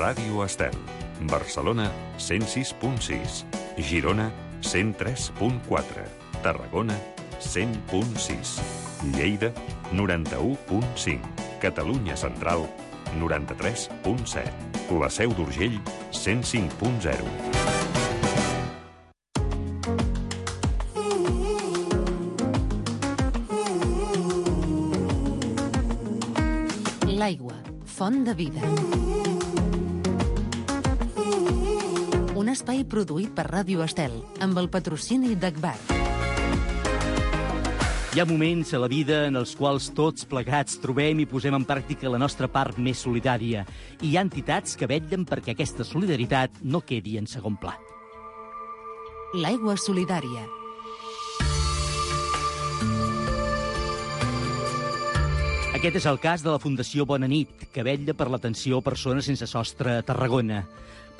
Ràdio Estel. Barcelona, 106.6. Girona, 103.4. Tarragona, 100.6. Lleida, 91.5. Catalunya Central, 93.7. La Seu d'Urgell, 105.0. L'aigua, font de vida. Un espai produït per Ràdio Estel, amb el patrocini d'Agbar. Hi ha moments a la vida en els quals tots plegats trobem i posem en pràctica la nostra part més solidària. I hi ha entitats que vetllen perquè aquesta solidaritat no quedi en segon pla. L'aigua solidària. Aquest és el cas de la Fundació Bona Nit, que vetlla per l'atenció a persones sense sostre a Tarragona.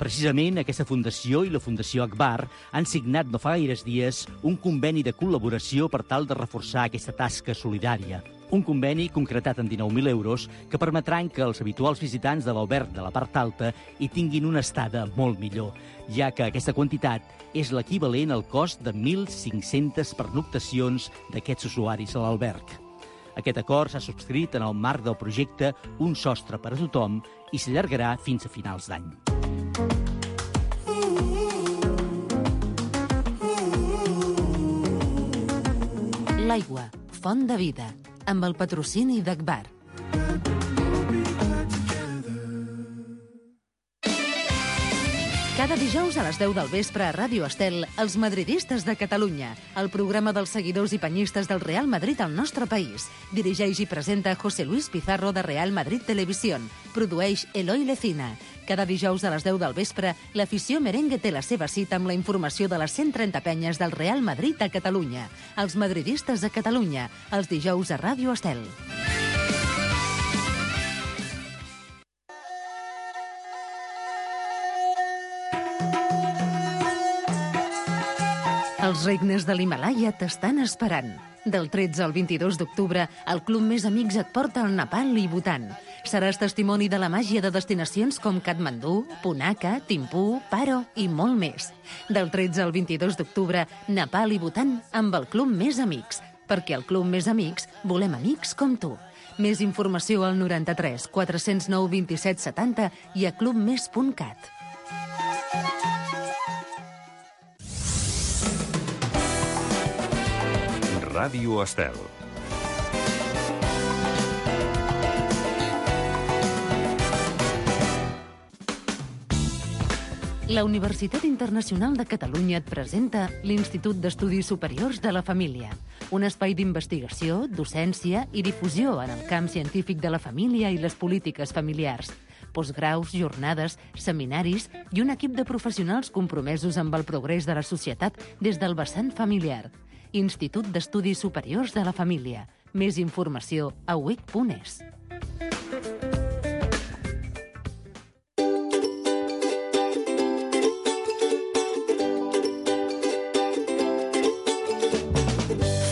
Precisament aquesta fundació i la Fundació Agbar han signat no fa gaires dies un conveni de col·laboració per tal de reforçar aquesta tasca solidària. Un conveni concretat en 19.000 euros que permetran que els habituals visitants de l'alberg de la part alta hi tinguin una estada molt millor, ja que aquesta quantitat és l'equivalent al cost de 1.500 pernoctacions d'aquests usuaris a l'alberg. Aquest acord s'ha subscrit en el marc del projecte Un sostre per a tothom i s'allargarà fins a finals d'any. L'aigua, font de vida, amb el patrocini d'Agbar. Cada dijous a les 10 del vespre a Ràdio Estel, Els madridistes de Catalunya, el programa dels seguidors i penyistes del Real Madrid al nostre país. Dirigeix i presenta José Luis Pizarro de Real Madrid Televisión. Produeix Eloi Lecina. Cada dijous a les 10 del vespre, l'afició merengue té la seva cita amb la informació de les 130 penyes del Real Madrid a Catalunya. Els madridistes de Catalunya, els dijous a Ràdio Estel. Els regnes de l'Himàlaia t'estan esperant. Del 13 al 22 d'octubre, el Club Més Amics et porta al Nepal i Bhutan. Seràs testimoni de la màgia de destinacions com Katmandú, Punakha, Thimphu, Paro i molt més. Del 13 al 22 d'octubre, Nepal i Bhutan amb el Club Més Amics. Perquè al Club Més Amics volem amics com tu. Més informació al 93 409 27 70 i a clubmes.cat. Ràdio Estel. La Universitat Internacional de Catalunya et presenta l'Institut d'Estudis Superiors de la Família, un espai d'investigació, docència i difusió en el camp científic de la família i les polítiques familiars. Postgraus, jornades, seminaris i un equip de professionals compromesos amb el progrés de la societat des del vessant familiar. Institut d'Estudis Superiors de la Família. Més informació a uic.es.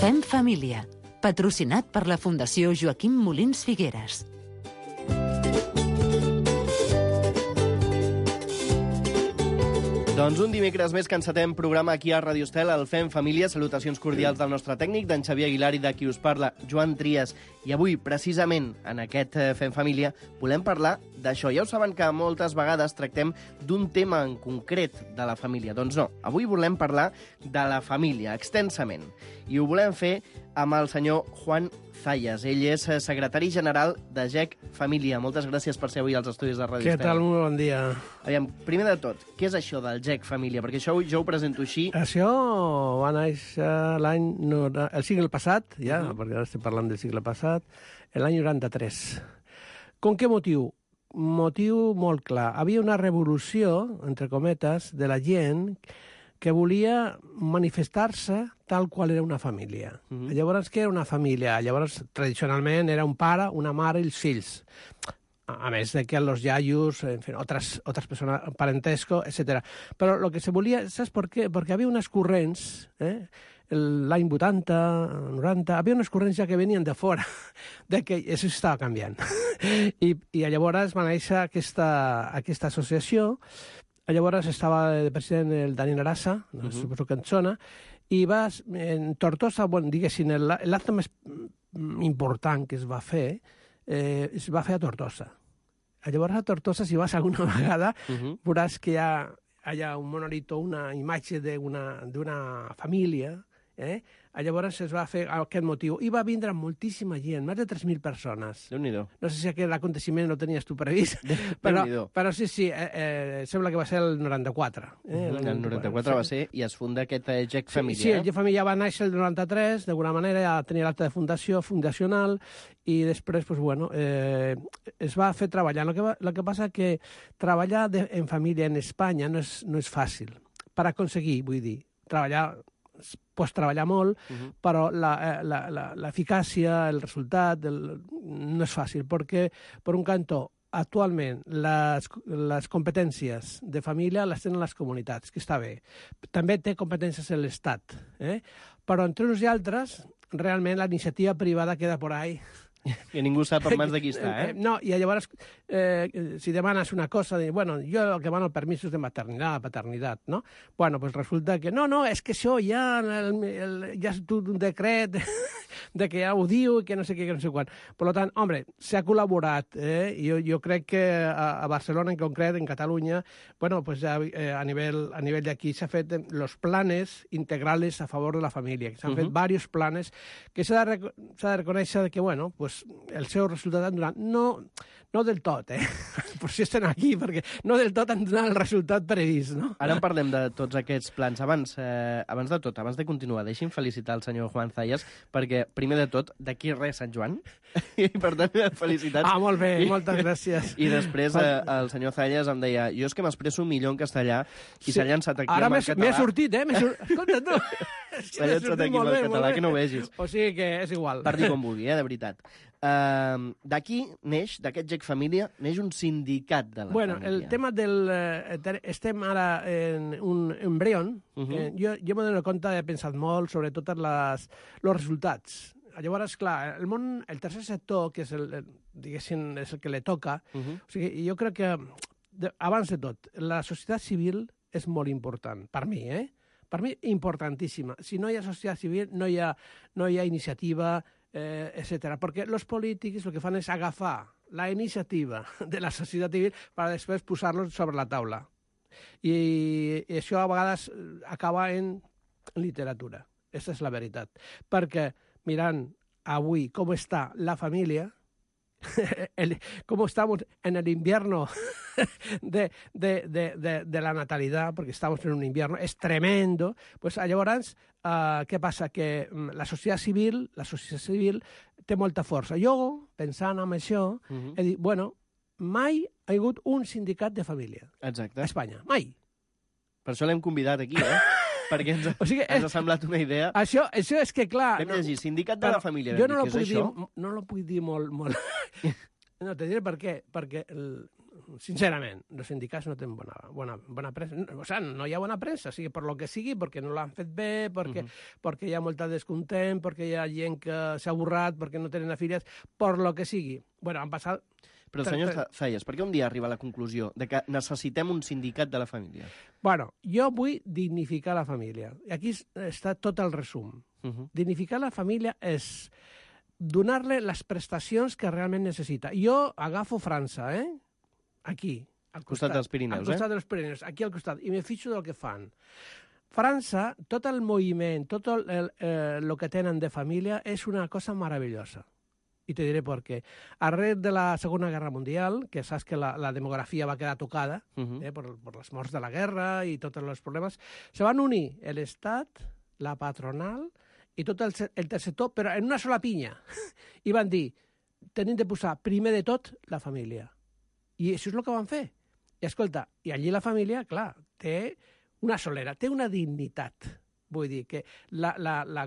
Fem Família, patrocinat per la Fundació Joaquim Molins Figueres. Doncs un dimecres més que encetem programa aquí a Ràdio Estel, el Fem Família. Salutacions cordials del nostre tècnic, d'en Xavier Aguilar, i de qui us parla, Joan Trias. I avui, precisament, en aquest Fem Família, volem parlar d'això. Ja ho saben que moltes vegades tractem d'un tema en concret de la família. Doncs no, avui volem parlar de la família, extensament. I ho volem fer amb el senyor Juan Zayas. Ell és secretari general de GEC Família. Moltes gràcies per ser avui als estudis de Ràdio Estel. Què tal? Molt bon dia. Aviam, primer de tot, què és això del GEC Família? Perquè això jo ho presento així. Això va néixer el segle passat, ja, perquè ara estem parlant del segle passat, l'any 93. Com què motiu? Motiu molt clar. Havia una revolució, entre cometes, de la gent que volia manifestar-se tal qual era una família. Llavors, què era una família? Llavors, tradicionalment, era un pare, una mare i els fills. A més de que los yayos, en fin, otras personas, parentesco, etc. Però el que se volia, saps per què? Perquè havia unes corrents, l'any 80, 90, havia unes corrents ja que venien de fora, de que això estava canviant. I llavors va néixer aquesta associació. Llavors estava de president el Daniel Arasa, suposo que en zona, i en Tortosa, bueno, diguéssim, l'acte més important que es va fer a Tortosa. Llavors a Tortosa, si vas alguna vegada, veuràs que hi ha un monolito, una imatge d'una família, llavors es va fer aquest motiu. I va vindre moltíssima gent, més de 3.000 persones. Déu-n'hi-do. No sé si aquest aconteixement no tenies tu previst, però sí, sembla que va ser el 94. El 94 va ser, i es funda aquest GEC Família. Sí, el GEC Família va néixer el 93, d'alguna manera ja tenia l'acte de fundació, fundacional, i després, pues, bueno, es va fer treballar. El que passa que treballar en família en Espanya no és fàcil. Per aconseguir, vull dir, pots treballar molt, però l'eficàcia, el resultat, no és fàcil, perquè, per un cantó, actualment les competències de família les tenen les comunitats, que està bé. També té competències l'Estat, però entre uns i altres, realment la iniciativa privada queda por ahí. Que ningú sap per mans de qui està, No, i llavors, si demanes una cosa, bueno, jo el que demano permisos de maternitat, paternitat, no? Bueno, pues resulta que no, és que això ja és un decret de que ja ho diu i que no sé què, que no sé quan. Per tant, home, s'ha col·laborat, jo crec que a Barcelona en concret, en Catalunya, bueno, pues a nivell d'aquí s'ha fet los planes integrales a favor de la família, que s'han fet diversos planes que s'ha de reconèixer que, bueno, pues el seu resultat han donat, no del tot, per si estem aquí, perquè no del tot han donat el resultat previst, no? Ara en parlem de tots aquests plans. Abans de tot, abans de continuar, deixi'm felicitar el senyor Juan Zayas, perquè, primer de tot, d'aquí res Sant Joan, i per tant, felicitats. Molt bé, moltes gràcies. I després el senyor Zayas em deia, jo és que m'expresso millor en castellà, i s'ha llançat aquí ara amb el català. Ara m'he sortit, Escolta, tu! S'ha llançat aquí amb el català, que no ho vegis. O sigui que és igual. Per dir com vulgui, de veritat. D'aquí neix, d'aquest GEC Família, neix un sindicat de la família. El tema estem ara en un embrion. Jo m'he donat compte, he pensat molt sobre tots els resultats. Llavors, clar, el tercer sector, que és diguéssim, és el que li toca, o sigui, jo crec que, abans de tot, la societat civil és molt important, per mi, Per mi, importantíssima. Si no hi ha societat civil, no hi ha iniciativa, etc. Perquè els polítics el que fan és agafar la iniciativa de la societat civil per després posar-los sobre la taula. I això a vegades acaba en literatura. Aquesta és la veritat. Perquè mirant avui com està la família, cómo estamos en el invierno de la natalidad, porque estamos en un invierno, es tremendo, pues llavors, què passa? Que la societat civil té molta força. Jo, pensant en això, he dit, bueno, mai ha hagut un sindicat de família. Exacte. A Espanya, mai. Per això l'hem convidat aquí, perquè ens ha semblat una idea. Això és que, clar... Vam llegir, sindicat de la família. Jo no lo puc dir molt... No, te diré per què. Perquè, sincerament, els sindicats no tenen bona premsa. O sigui, no hi ha bona premsa, sigui per lo que sigui, perquè no l'han fet bé, perquè hi ha molta descontent, perquè hi ha gent que s'ha avorrat, perquè no tenen afiliats, per lo que sigui. Bueno, han passat... Però, senyor Zayas, per què un dia arriba a la conclusió de que necessitem un sindicat de la família? Bueno, jo vull dignificar la família. I aquí està tot el resum. Dignificar la família és donar-li les prestacions que realment necessita. Jo agafo França, aquí, al costat dels Pirineus, al costat dels Pirineus, aquí al costat, i me fixo del que fan. França, tot el moviment, tot el que tenen de família és una cosa meravellosa. I te diré per què. Arrel de la Segona Guerra Mundial, que saps que la demografia va quedar tocada per les morts de la guerra i tots els problemes, se van unir l'Estat, la patronal i tot el tercer sector, però en una sola pinya. I van dir, tenim de posar primer de tot la família. I això és el que van fer. I escolta, i allí la família, clar, té una solera, té una dignitat. Vull dir que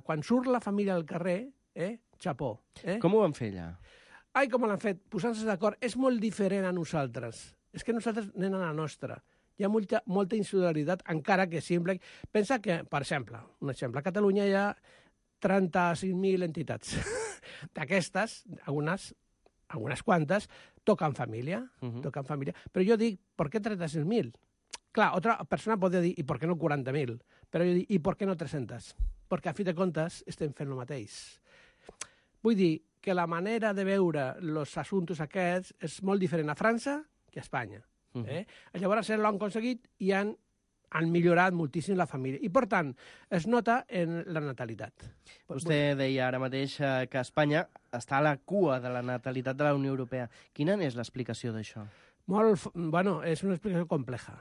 quan surt la família al carrer, xapó. Com ho van fer allà? Ai, com l'han fet, posant-se d'acord. És molt diferent a nosaltres. És que nosaltres anem a la nostra. Hi ha molta insolidaritat, encara que sempre... Pensa que, per exemple, un exemple, a Catalunya hi ha 35.000 entitats. D'aquestes, algunes algunes quantes, toquen família, toquen família. Però jo dic, per què 36.000? Clar, otra persona podria dir, i per què no 40.000? Però jo dic, i per què no 300? Perquè a fi de comptes estem fent el mateix. Vull dir que la manera de veure els assumptes aquests és molt diferent a França que a Espanya. Llavors ells l'han aconseguit i han millorat moltíssim la família. I, per tant, es nota en la natalitat. Vostè deia ara mateix que Espanya està a la cua de la natalitat de la Unió Europea. Quina és l'explicació d'això? Bueno, és una explicació compleja.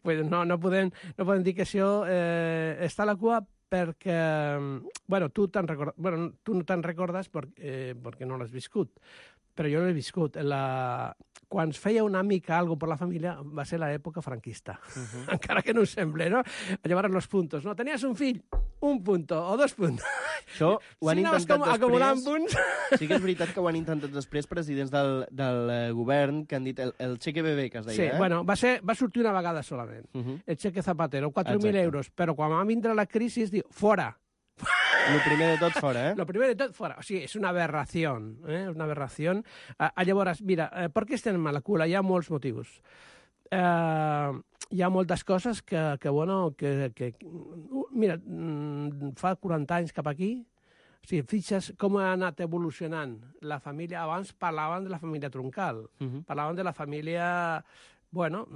Pues no podem dir que això està a la cua perquè, bueno, tu no te'n recordes perquè no l'has viscut, però jo l'he viscut. Quan es feia una mica algo per la família va ser l'època franquista, encara que no ho sembla, no? Llavors, los puntos, no? Tenies un fill, un punto o 2 puntos. Això ho han intentat després... acumulant punts. Sí que és veritat que ho han intentat després presidents del govern que han dit el cheque bebé, que es deia, Sí, bueno, va sortir una vegada solament. El cheque Zapatero, 4.000 euros, però quan va vindre la crisi es diu, fora. Lo primer de tot fora, Lo primer de tot fora. O sigui, és una aberració, És una aberració. Llavors, mira, per què estem a la cua? Hi ha molts motius. Hi ha moltes coses que mira, fa 40 anys cap aquí, o sigui, fixes com ha anat evolucionant la família. Abans parlaven de la família troncal, parlaven de la família, bueno,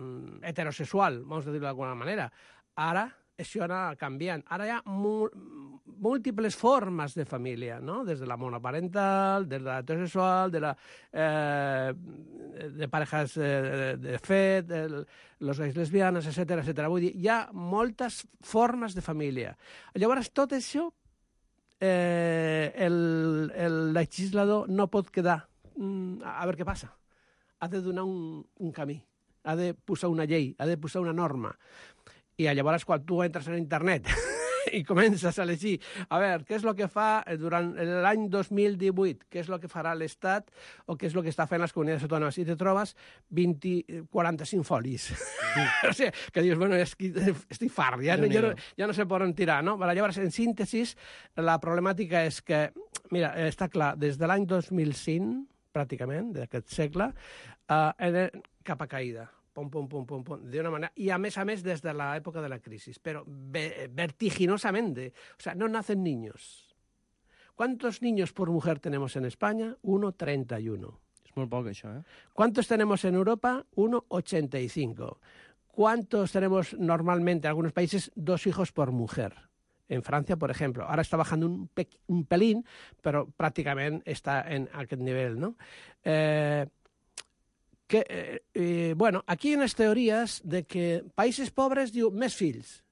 heterosexual, vamos a dir-ho d'alguna manera. Ara això anar canviant. Ara hi ha múltiples formes de família, no? Des de la monoparental, de la heterosexual, de parejas de fet, los gays lesbianes, etcètera, etcètera. Vull dir, hi ha moltes formes de família. Llavors, tot això, el legislador no pot quedar a veure què passa. Ha de donar un camí, ha de posar una llei, ha de posar una norma. I llavors, quan tu entres en internet i comences a llegir, a veure, què és el que fa durant l'any 2018, què és el que farà l'Estat o què és el que està fent les comunitats autònomes, i te trobes 45 folis. O sigui, que dius, bueno, estic fart, ja no sé per on tirar, no? Llavors, en síntesis, la problemàtica és que, mira, està clar, des de l'any 2005, pràcticament, d'aquest segle, cap a caïda. D'una manera, y a més desde la época de la crisis, pero vertiginosamente. O sea, no nacen niños. ¿Cuántos niños por mujer tenemos en España? 1,31. És molt poc, això, ¿Cuántos tenemos en Europa? 1,85. ¿Cuántos tenemos normalmente en algunos países? 2 hijos por mujer. En Francia, por ejemplo. Ahora está bajando un pelín, pero prácticamente está en aquel nivel, ¿no? Bueno, aquí hi ha unes teories de que països pobres diu més fills.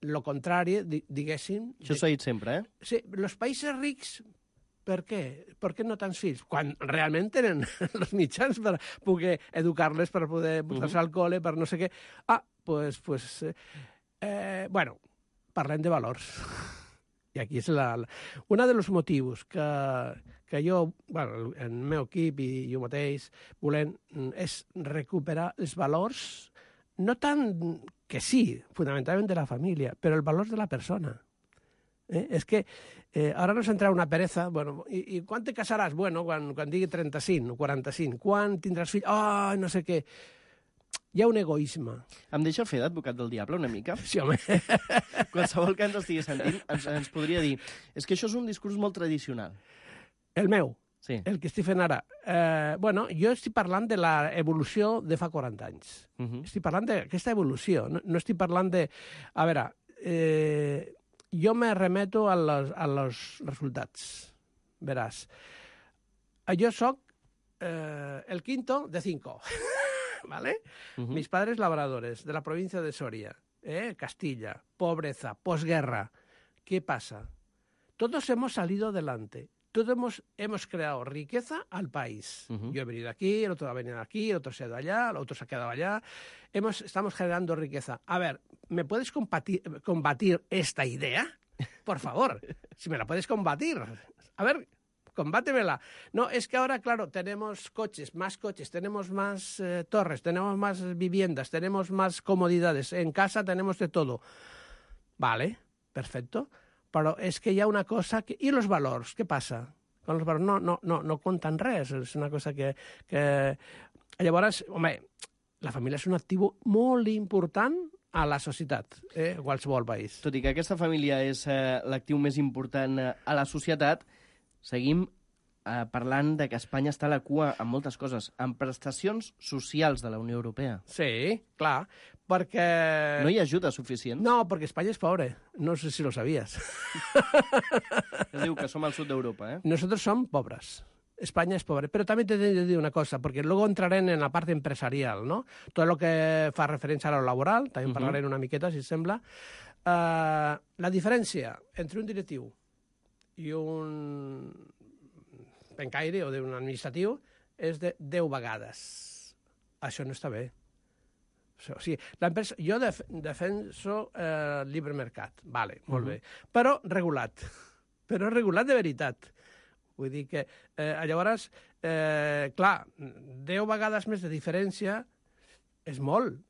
Lo contrari, diguéssim... Això s'ha dit sempre, Sí, els països rics, per què? Per què no tants fills? Quan realment tenen els mitjans per poder educar-les, per poder portar-se al col·le, per no sé què. Bueno, parlem de valors. I aquí és un dels motius que jo, bueno, en el meu equip i jo mateix volem és recuperar els valors, no tant que sí, fonamentalment de la família, però els valors de la persona. És que ara nos entra una pereza, bueno, i quan te casaràs? Bueno, quan digui 35 o 45. Quan tindràs fills? No sé què. Hi ha un egoisme. Em deixa fer d'advocat del diable una mica? Sí, home. Qualsevol que ens estigui sentint ens podria dir és que això és un discurs molt tradicional. El meu? Sí. El que estic fent ara? Bueno, jo estic parlant de l'evolució de fa 40 anys. Estic parlant d'aquesta evolució. No estic parlant de... A veure, jo me remeto a los resultats. Veràs. Jo soc el quinto de 5. ¿Vale? Mis padres labradores, de la provincia de Soria, Castilla, pobreza, posguerra. ¿Qué pasa? Todos hemos salido adelante. Todos hemos creado riqueza al país. Yo he venido aquí, el otro ha venido aquí, el otro se ha ido allá, el otro se ha quedado allá. Estamos generando riqueza. A ver, ¿me puedes combatir esta idea? Por favor, si me la puedes combatir. A ver, combátemela. No, es que ahora, claro, tenemos más coches, tenemos más torres, tenemos más viviendas, tenemos más comodidades. En casa tenemos de todo. Vale, perfecto. Però és que hi ha una cosa... ¿Y los valors? Què passa? Quan els valors no compten res, és una cosa que... Llavors, home, la família és un actiu molt important a la societat, a qualsevol país. Tot i que aquesta família és l'actiu més important a la societat, seguim parlant de que Espanya està a la cua en moltes coses, en prestacions socials de la Unió Europea. Sí, clar, perquè... No hi ha ajuda suficient? No, perquè Espanya és pobre. No sé si lo sabías. Es diu que som al sud d'Europa, Nosotros somos pobres. España es pobre. Pero también te tengo que decir una cosa, porque luego entraré en la parte empresarial, ¿no? Todo lo que fa referència a lo laboral, també parlaré una miqueta, si et sembla. La diferència entre un directiu i un pencaire o d'un administratiu és de 10 vegades. Això no està bé. O sigui, l'empresa, jo defenso el llibre mercat, vale, molt bé, però regulat de veritat. Vull dir que, llavors, clar, 10 vegades més de diferència és molt,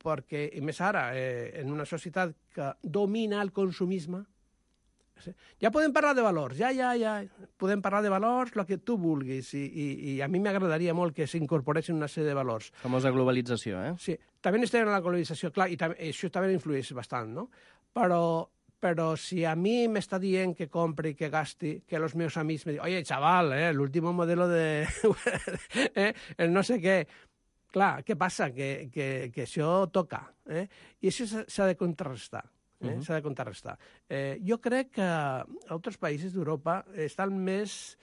perquè, i més ara, en una societat que domina el consumisme, ja podem parlar de valors, podem parlar de valors, el que tu vulguis, i a mi m'agradaria molt que s'incorporessin una sèrie de valors. Famosa globalització, Sí, també estem en la globalització, clar, i això també influeix bastant, no? Però si a mi m'està dient que compri, que gasti, que els meus amics me diuen, oye, chaval, l'último modelo de... el no sé què... Clar, què passa? Que això toca, i això s'ha de contrarrestar. S'ha de contrarrestar. Jo crec que altres països d'Europa estan més,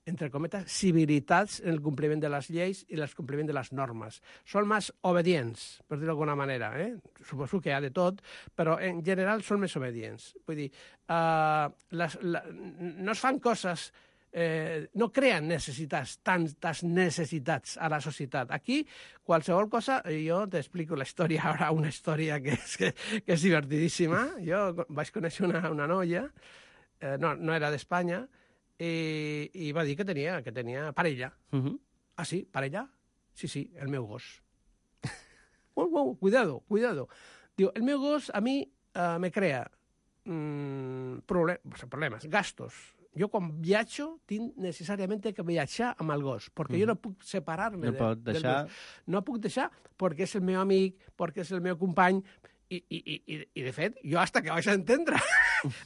entre cometes, civilitats en el compliment de les lleis i el compliment de les normes. Són més obedients, per dir-ho d'alguna manera. Suposo que hi ha de tot, però en general són més obedients. Vull dir, no es fan coses... no creen necessitats, tantes necessitats a la societat. Aquí, qualsevol cosa, jo t'explico la història ara, una història que és divertidíssima. Jo vaig conèixer una noia, no era d'Espanya, i va dir que tenia parella. Ah, sí? Parella? Sí, el meu gos. Cuidado. Diu, el meu gos a mi me crea problemes, gastos. Jo quan viatjo tinc necessàriament que viatjar amb el gos, perquè jo no puc separar-me del gos. No puc deixar perquè és el meu amic, perquè és el meu company, i de fet, jo hasta que vaig entendre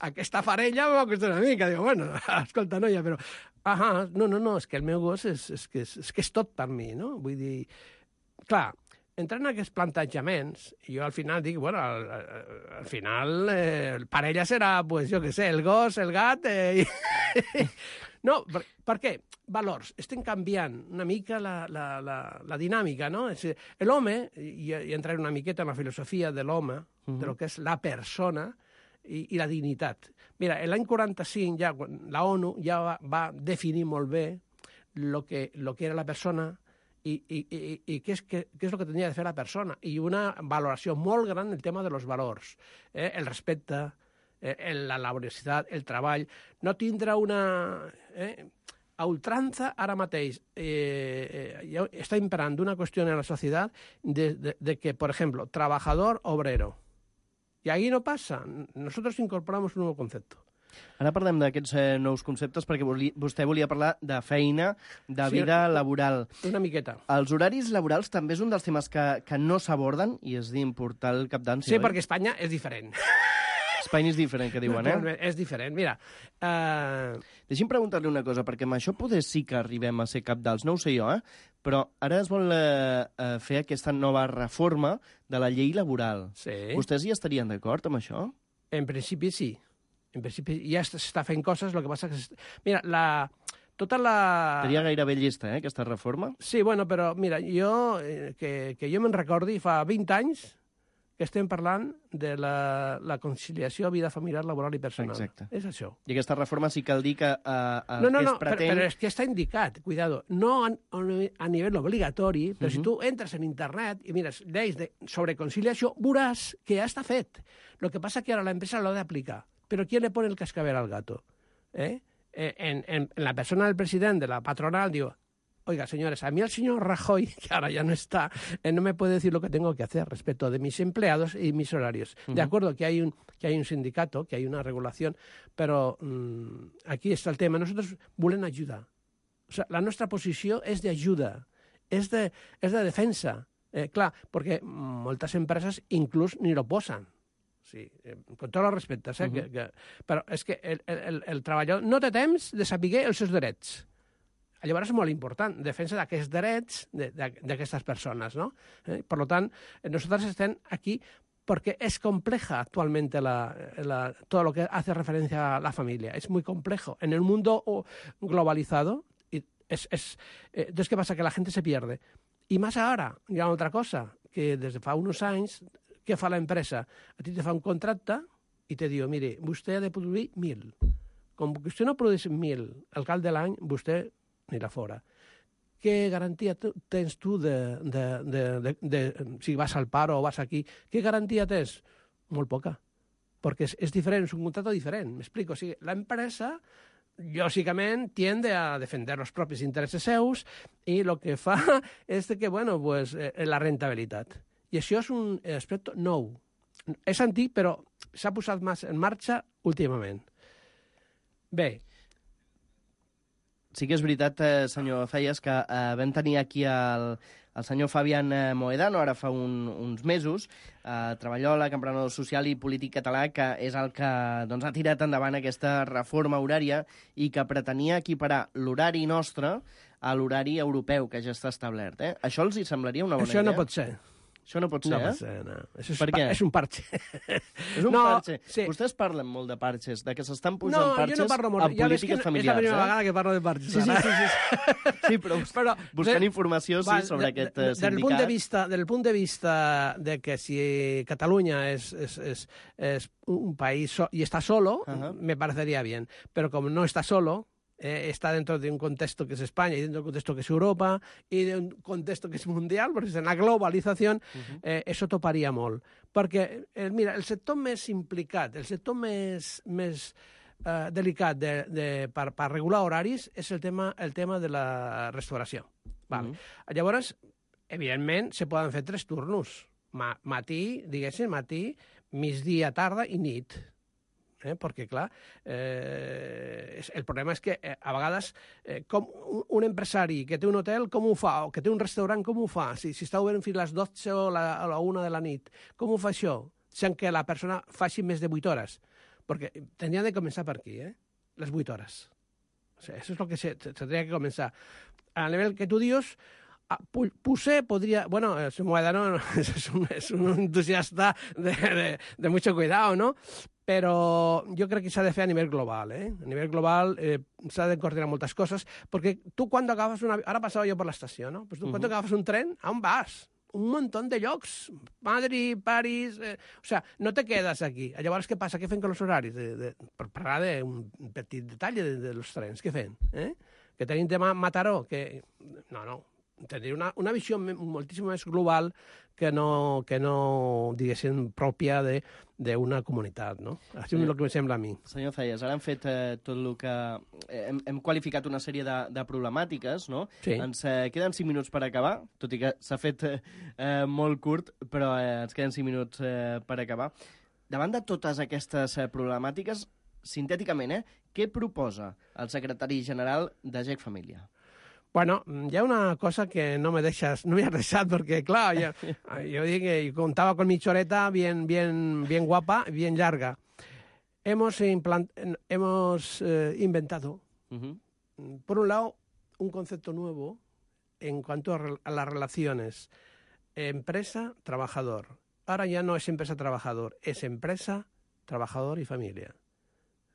aquesta parella m'ha costat una mica. Digo, bueno, escolta, noia, però... No, és que el meu gos és que és tot per mi, no? Vull dir, clar, entrant en aquests plantejaments, jo al final dic, bueno, al final parella serà, pues, jo què sé, el gos, el gat... No, per què? Valors. Estem canviant una mica la dinàmica, no? L'home, i entraré una miqueta en la filosofia de l'home, de lo que és la persona i la dignitat. Mira, l'any 45 ja la ONU ja va definir molt bé lo que era la persona i què és el que tenia de fer la persona. I una valoració molt gran del tema de los valors. El respecte, la laboriositat, el treball. No tindre una... A ultranza, ara mateix, està imperant una qüestió en la societat de que, por ejemplo, trabajador, obrero. I aquí no passa. Nosotros incorporamos un nou concepte. Ara parlem d'aquests nous conceptes perquè vostè volia parlar de feina, de vida laboral. Una miqueta. Els horaris laborals també és un dels temes que no s'aborden i és d'importar el capdansi, sí, perquè Espanya és diferent. Espanya és diferent, que diuen, És diferent, mira. Deixi'm preguntar-li una cosa, perquè amb això poder sí que arribem a ser capdals, no ho sé jo, però ara es vol fer aquesta nova reforma de la llei laboral. Sí. Vostès hi estarien d'acord amb això? En principi sí. En principi ja s'està fent coses, el que passa que... Mira, Seria gairebé llesta, aquesta reforma? Sí, bueno, però mira, jo, que jo me'n recordi, fa 20 anys que estem parlant de la conciliació vida familiar, laboral i personal. Exacte. És això. I aquesta reforma sí cal dir que no, es pretén... però és que està indicat, cuidado, no a nivell obligatori, però si tu entres en internet i mires lleis sobre conciliació, veuràs que ja està fet. El que passa que ara l'empresa l'ha d'aplicar. Però ¿quién le pone el cascabel al gato? En la persona del president de la patronal diu, oiga, señores, a mí el señor Rajoy, que ahora ya no está, no me puede decir lo que tengo que hacer respecto de mis empleados y mis horarios. De acuerdo que hay un sindicato, que hay una regulación, però aquí està el tema. Nosaltres volem ajudar. O sea, la nostra posició és d'ajuda, és de defensa. Clar, perquè moltes empreses inclús ni lo posen. Sí, con tots els respectes, però és que el treballador no té temps de saber els seus drets. Llavors és molt important, defensa d'aquests drets d'aquestes persones, ¿no? Per tant, nosaltres estem aquí porque es compleja actualmente todo lo que hace referencia a la familia. Es muy complejo. En el mundo globalizado, entonces, ¿qué pasa? Que la gente se pierde. Y más ahora, hi ha otra cosa, que des de fa uns anys, què fa l'empresa? A ti te fa un contracte i te diu, mire, vostè ha de produir 1.000. Com que vostè no produeix 1.000 al cap de l'any, vostè anirà fora. Què garantia tens tu si vas al paro o vas aquí? Què garantia tens? Molt poca. Perquè és diferent, és un contrato diferent. M'explico. O sigui, l'empresa, lògicament, tiende a defender els propis interessos seus i el que fa és que, bueno, pues, la rentabilitat. I això és un aspecte nou. És antic, però s'ha posat més en marxa últimament. Bé, sí que és veritat, senyor Zayas, que vam tenir aquí el senyor Fabián Mohedano, ara fa uns mesos, treballador, emprenedor social i polític català, que és el que ha tirat endavant aquesta reforma horària i que pretenia equiparar l'horari nostre a l'horari europeu, que ja està establert. Això els hi semblaria una bona idea? Això no pot ser. Això no pot ser, no pot ser, no. Per què? És un parche. És un parche. Sí. Vostès parlen molt de parches, de que s'estan posant parches en polítiques familiars. És la primera vegada que parlo de parches. Sí, però buscant informació sobre aquest sindicat. Del punt de vista de que si Catalunya és un país y está solo, me parecería bien. Pero como no está solo, está dentro de un contexto que es España y dentro de un contexto que es Europa y de un contexto que es mundial, perquè en la globalització això toparia molt. Perquè, mira, el sector més implicat, el sector més delicat per regular horaris és el tema de la restauració. Vale. Llavors, evidentment, se poden fer 3 turnos. Matí, migdia, tarda i nit. Perquè, clar, el problema és que a vegades com un empresari que té un hotel, com ho fa? O que té un restaurant, com ho fa? Si està obert fins a les 12 o a la 1 de la nit, com ho fa això? Sent que la persona faci més de 8 hores. Perquè tindria de començar per aquí, les 8 hores. O sigui, això és el que s'hauria de començar. A nivell que tu dius, Puse podría... Bueno, el Mohedano es un entusiasta de mucho cuidado, ¿no? Però jo crec que s'ha de fer a nivell global, A nivell global s'ha de coordinar moltes coses, perquè tu quan agafes una... Ara passava jo per l'estació, no? Pues tu quan agafes un tren, a on vas? Un montón de llocs. Madrid, París... O sea, no te quedas aquí. Llavors, què passa? Què fem amb els horaris? Per parlar d'un petit detall dels trens. Què fem? Que tenim de Mataró? Que... No. Tindria una visió moltíssim més global que no diguéssim, pròpia d'una comunitat, no? Això és el que em sembla a mi. Senyor Zayas, ara hem fet tot el que... Hem qualificat una sèrie de problemàtiques, no? Sí. Ens queden 5 minuts per acabar, tot i que s'ha fet molt curt, però ens queden 5 minuts per acabar. Davant de totes aquestes problemàtiques, sintèticament, què proposa el secretari general de GEC Família? Bueno, hi ha una cosa que no m'he deixat, perquè, clar, jo dic que contava con mi choreta bien guapa, bien larga. Hemos inventado, por un lado, un concepto nuevo en cuanto a las relaciones empresa-trabajador. Ahora ya no es empresa-trabajador, es empresa, trabajador y familia.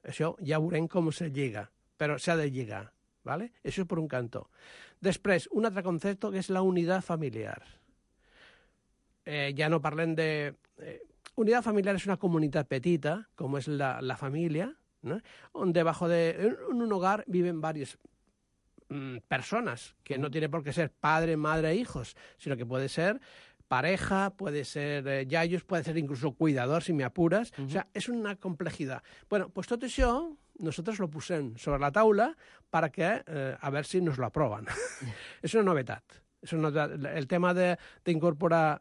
Això ja veurem com se lliga, però s'ha de lligar. ¿Vale? Eso es por un canto. Després, un altre concepte que és la unitat familiar. Ja no parlem de... Unitat familiar és una comunitat petita, com és la família, ¿no? On debajo de un hogar viven varias personas, que no tiene por qué ser padre, madre, hijos, sino que puede ser pareja, puede ser yayos, puede ser incluso cuidador, si me apuras. O sea, és una complejidad. Bueno, pues tot això nosotros lo posem sobre la taula perquè a veure si nos lo aproven. És una novetat. El tema d'incorporar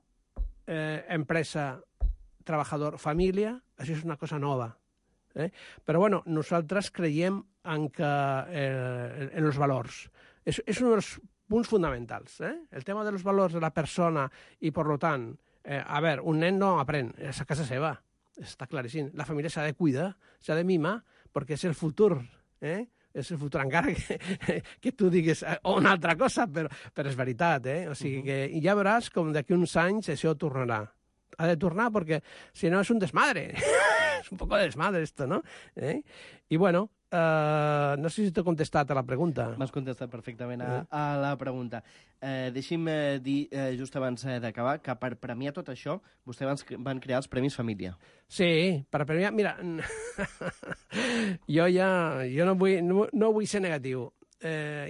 empresa, trabajador, família, això és una cosa nova. Però bueno, nosaltres creiem en els valors. És un dels punts fonamentals. El tema dels valors de la persona i, per tant, a veure, un nen no aprèn, és a casa seva, està claríssim. La família s'ha de cuidar, s'ha de mimar, perquè és el futur, és el futur, encara que tu diguis una altra cosa, però és veritat, O sigui que ja veuràs com d'aquí uns anys això tornarà. Ha de tornar perquè, si no, és un desmadre. És un poco de desmadre, esto, ¿no? I, bueno, no sé si t'he contestat a la pregunta. M'has contestat perfectament a la pregunta. Deixi'm dir, just abans d'acabar, que per premiar tot això, vostès van crear els Premis Família. Sí, per premiar... Mira, jo no vull ser negatiu.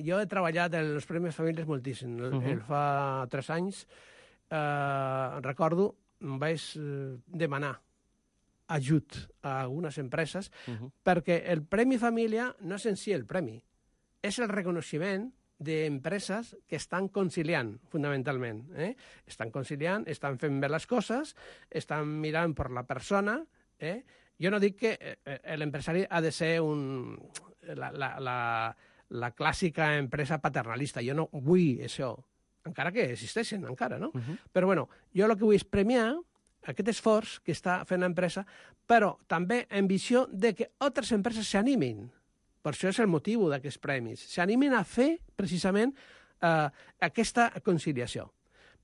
Jo he treballat en els Premis Famílies moltíssim. Fa 3 anys, recordo, vaig demanar ajut a algunes empreses perquè el Premi Família no és en si el premi, és el reconeixement d'empreses que estan conciliant, fundamentalment. Estan conciliant, estan fent bé les coses, estan mirant per la persona. Jo no dic que l'empresari ha de ser la clàssica empresa paternalista. Jo no vull això, encara que existeixen, encara, no? Però, bueno, jo el que vull és premiar aquest esforç que està fent l'empresa, però també en visió de que altres empreses s'animin. Per això és el motiu d'aquests premis. S'animin a fer, precisament, aquesta conciliació.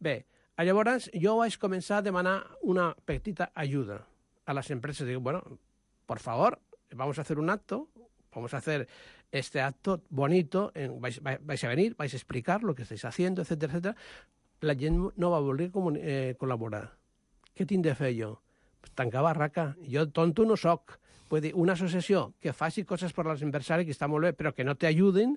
Bé, llavors jo vaig començar a demanar una petita ajuda a les empreses. Dic, bueno, por favor, vamos a hacer un acto, vamos a hacer este acto bonito, vais a venir, vais a explicar lo que estáis haciendo, etcétera, etcétera. La gent no va voler col·laborar. Què tinc de fer jo? Tancar barraca. Jo tonto no soc. Vull dir, una associació que faci coses per als empresaris, que està molt bé, però que no t'ajuden,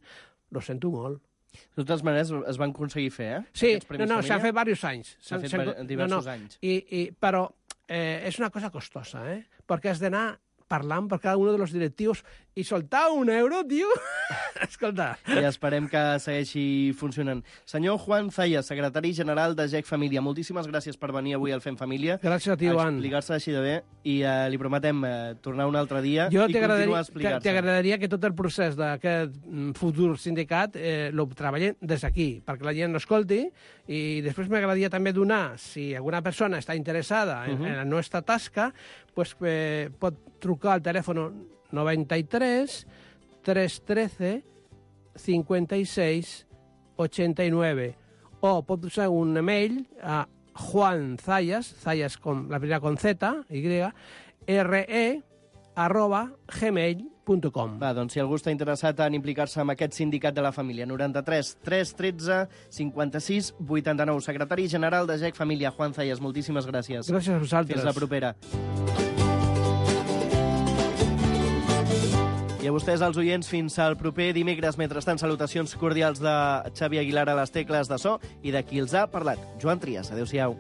lo sento molt. De totes maneres, es van aconseguir fer, Sí, s'han fet diversos anys. S'han fet diversos anys. Però és una cosa costosa, perquè has d'anar parlant per cada un dels directius i soltar €1, tio. Escolta. I esperem que segueixi funcionant. Senyor Juan Zayas, secretari general de GEC Família, moltíssimes gràcies per venir avui al Fem Família. Gràcies a ti, Joan. Explicar-se així de bé i li prometem tornar un altre dia i continuar a explicar-se. T'agradaria que tot el procés d'aquest futur sindicat lo treballem des d'aquí, perquè la gent l'escolti, i després m'agradaria també donar, si alguna persona està interessada en la nostra tasca, pues, pot trucar al telèfon 93 313 56 89 o pot usar un email a Juan Zayas, Zayas con la primera con Z, re@gmail.com. Va, doncs si algú està interessat en implicar-se en aquest sindicat de la família, 93 313 56 89. Secretari general de GEC Família, Juan Zayas, moltíssimes gràcies. Gràcies a vosaltres. Fins la propera. I a vostès, els oients, fins al proper dimecres. Mentrestant, salutacions cordials de Xavi Aguilar a les tecles de so i de qui els ha parlat, Joan Trias. Adéu-siau.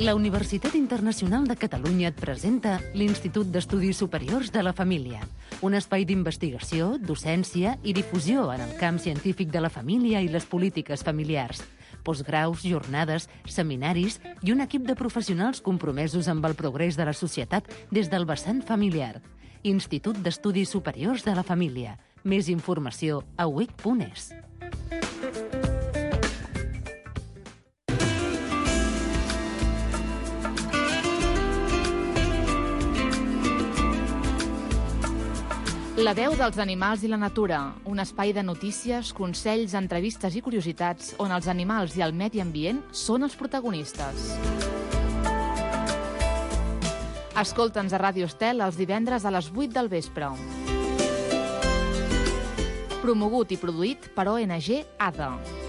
La Universitat Internacional de Catalunya et presenta l'Institut d'Estudis Superiors de la Família, un espai d'investigació, docència i difusió en el camp científic de la família i les polítiques familiars. Postgraus, jornades, seminaris i un equip de professionals compromesos amb el progrés de la societat des del vessant familiar. Institut d'Estudis Superiors de la Família. Més informació a uic.es. La veu dels animals i la natura, un espai de notícies, consells, entrevistes i curiositats on els animals i el medi ambient són els protagonistes. Escolta'ns a Ràdio Estel els divendres a les 8 del vespre. Promogut i produït per ONG ADA.